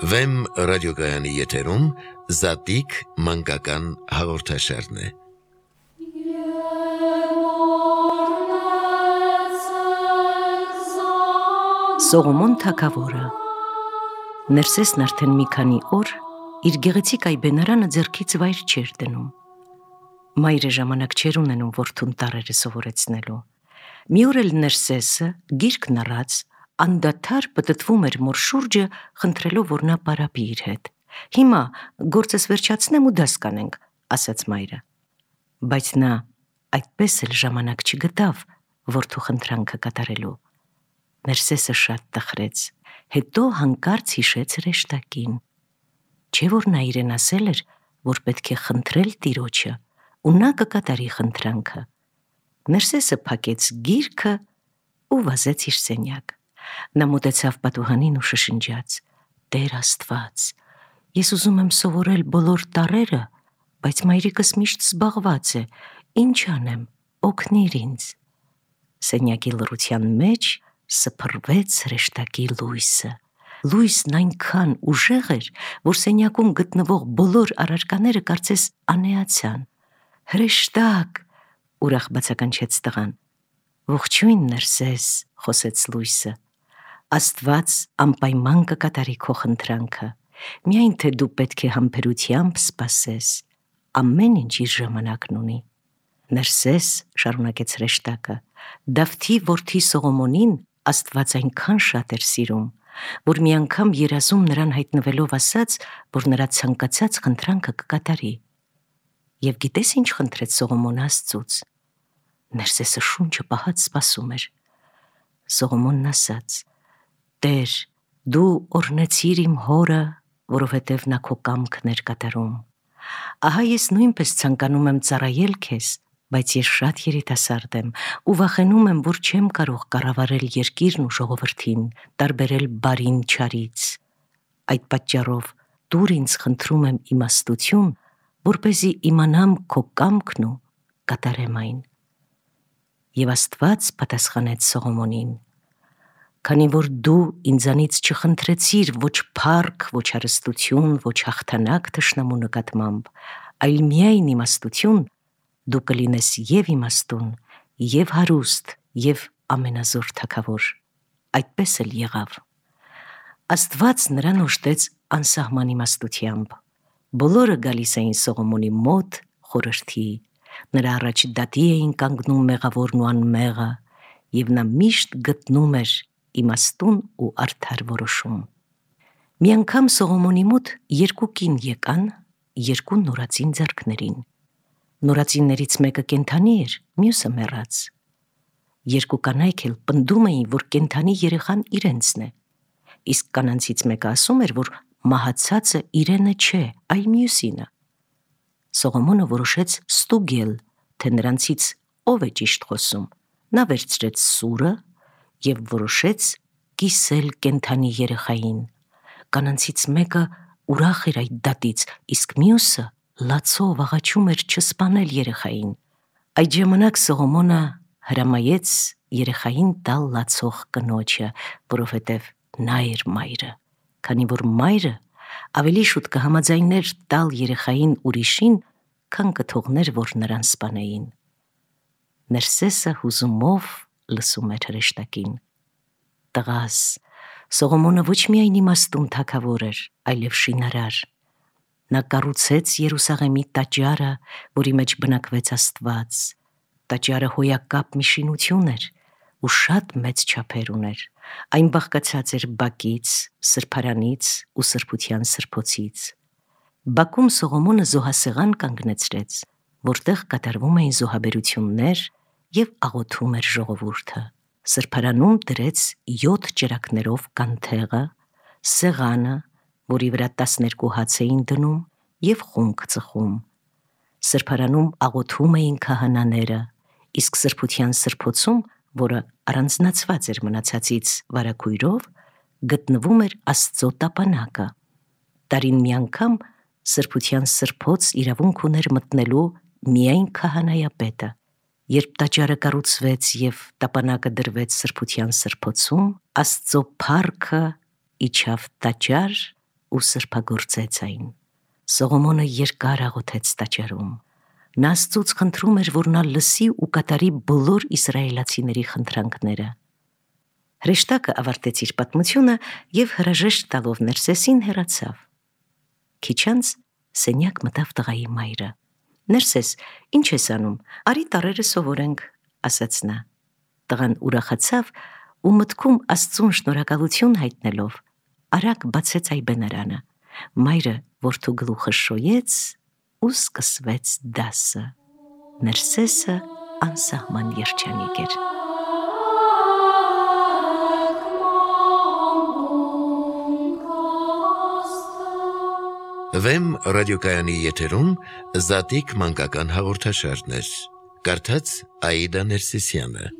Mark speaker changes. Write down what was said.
Speaker 1: Վեմ ռադիոգայանի եթերում Զատիկ մանկական հաղորդաշարն է։
Speaker 2: Սողոմոն թագավորը Ներսեսն արդեն մի քանի օր իր գեղեցիկ այբենարանը ձեռքից վայր չէր դնում։ Մայրը ժամանակ չէր ունենում որդուն տառերը սովորեցնելու։ Մի օր էլ Ներսեսը գիրքն առած անդադար պտտվում էր մոր շուրջը, խնդրելով, որ նա պարապի իր հետ։ Հիմա գործս վերջացնեմ ու դաս կանենք, ասաց մայրը։ Բայց նա այդպես էլ ժամանակ չգտավ որդու խնդրանքը կատարելու։ Ներսեսը շատ տխրեց, հետո հանկարծ հիշեց հրեշտակին։ Չէ՞ որ նա իրեն ասել էր, որ պետք է խնդրել Տիրոջը, ու նա կկատարի խնդրանքը։ Ներսեսը փակեց գիրքը ու վազեց իր սենյակ։ Նա մոտեցավ պատուհանին ու շշնջաց. «Տեր Աստված, ես ուզում եմ սովորել բոլոր տառերը, բայց մայրիկս միշտ զբաղված է, ինչ անեմ, օգնիր ինձ»։ Սենյակի լռության մեջ սփռվեց հրեշտակի լույսը։ Լույսն այնքան ուժեղ էր, որ սենյակում գտնվող բոլոր առարկաները կարծես անեացան։ «Հրեշտակ», ուրախ բացականչեց տղան։ «Ողջույն, Ներսես», խոսեց լույսը։ «Աստված անպայման կկատարի քո խնդրանքը, միայն թե դու պետք է համբերությամբ սպասես, ամեն ինչ իր ժամանակն ունի»։ Ներսես, շարունակեց հրեշտակը, Դավթի որդի Սողոմոնին Աստված այնքան շատ էր սիրում, որ մի անգամ երազում նրան հայտնվելով ասաց, որ նրա ցանկացած խնդրանքը կկատարի։ Եվ գիտես ինչ խնդրեց Սողոմոնը Աստծուց։ Ներսեսը շունչը պահած սպասում էր։ Սողոմոնն ասաց. «Տեր, դու օրհնեցիր իմ հորը, որովհետև նա քո կամքն էր կատարում։ Ահա ես նույնպես ցանկանում եմ ծառայել քեզ, բայց ես շատ երիտասարդ եմ ու վախենում եմ, որ չեմ կարող կառավարել երկիրն ու ժողովրդին, տարբերել բարին չարից։ Այդ պատճառով տուր ինձ, խնդրում եմ, իմաստություն, որպեսզի իմանամ քո կամքն ու կատարեմ այն»։ Եվ Աստված պատասխանեց Սողոմոնին. «Քանի որ դու ինձանից չխնդրեցիր ոչ փառք, ոչ հարստություն, ոչ հաղթանակ թշնամու նկատմամբ, այլ միայն իմաստություն, դու կլինես և իմաստուն, և հարուստ, և ամենազոր թագավոր»։ Այդպես էլ եղավ։ Աստված նրան օժտեց անսահման իմաստությամբ։ Բոլորը գալիս էին Սողոմոնի մոտ խորհրդի, նրա առաջ դատի էին կանգնում մեղավորն ու անմեղը, և նա միշտ գտնում էր իմաստուն ու արդար որոշում։ Մի անգամ Սողոմոնի մոտ երկու կին եկան երկու նորածին ձեռքներին։ Նորածիններից մեկը կենդանի էր, մյուսը մեռած։ Երկու կանայք էլ պնդում էին, որ կենդանի երեխան իրենցն է, իսկ կանանցից մեկը ասում էր, որ մահացածը իրենը չէ, այլ մյուսինը։ Սողոմոնը որոշեց ստուգել, թե նրանցից ով է ճիշտ խոսում։ Նա վերցրեց սուրը և որոշեց կիսել կենդանի երեխային։ Կանանցից մեկը ուրախ էր այդ դատից, իսկ մյուսը լացով աղաչում էր չսպանել երեխային։ Այդ ժամանակ Սողոմոնը հրամայեց երեխային տալ լացող կնոջը, որովհետև նա էր մայրը, քանի որ մայրը ավելի շուտ կհամաձայներ տալ երեխային ուրիշին, քան կթողներ, որ նրան սպանեին։ Ներսեսը հուզումով լսում էր հրեշտակին։ Տղաս, Սողոմոնը ոչ միայն իմաստուն թագավոր էր, այլև շինարար։ Նա կառուցեց Երուսաղեմի տաճարը, որի մեջ բնակվեց Աստված։ Տաճարը հոյակապ մի շինություն էր ու շատ մեծ չափեր ուներ։ Այն բաղկացած էր բակից, սրբարանից ու սրբության սրբոցից։ Բակում Սողոմոնը զոհասեղան կանգնեցրեց, որտեղ կատարվում էին զոհաբերություններ և աղոթում էր ժողովուրդը։ Սրբարանում դրեց 7 ճրագներով կանթեղը, սեղանը, որի վրա 12 հաց էին դնում, և խունկ ծխում։ Սրբարանում աղոթում էին քահանաները, իսկ սրբության սրբոցում, որը առանձնացված էր մնացածից վարագույրով, գտնվում էր Աստծո տապանակը։ Տարին մի անգամ սրբության սրբոց իրավունք ուներ մտնելու միայն քահանայապետը։ Երբ տաճարը կառուցվեց և տապանակը դրվեց սրբության սրբոցում, Աստծո փառքը իջավ տաճար ու սրբագործեց այն։ Սողոմոնը երկար աղոթեց տաճարում։ Նա Աստծուց խնդրում էր, որ նա լսի ու կատարի բոլոր իսրայելացիների խնդրանքները։ Հրեշտակը ավարտեց իր պատմությունը և հրաժեշտ տալով Ներսեսին հեռացավ։ Քիչ անց սենյակ մտավ տղայի մայրը։ «Ներսես, ինչ ես անում, արի տառերը սովորենք», ասաց նա։ Տղան ուրախացավ ու մտքում Աստծուն շնորհակալություն հայտնելով արագ բացեց այբենարանը։ Մայրը որդու գլուխը շոյեց ու սկսվեց դասը։ Ներսեսը անսահման երջանիկ էր։
Speaker 1: Վեմ ռադիոկայանի եթերում Զատիկ մանկական հաղորդաշարներ։ Կարդաց Աիդա Ներսիսյանը։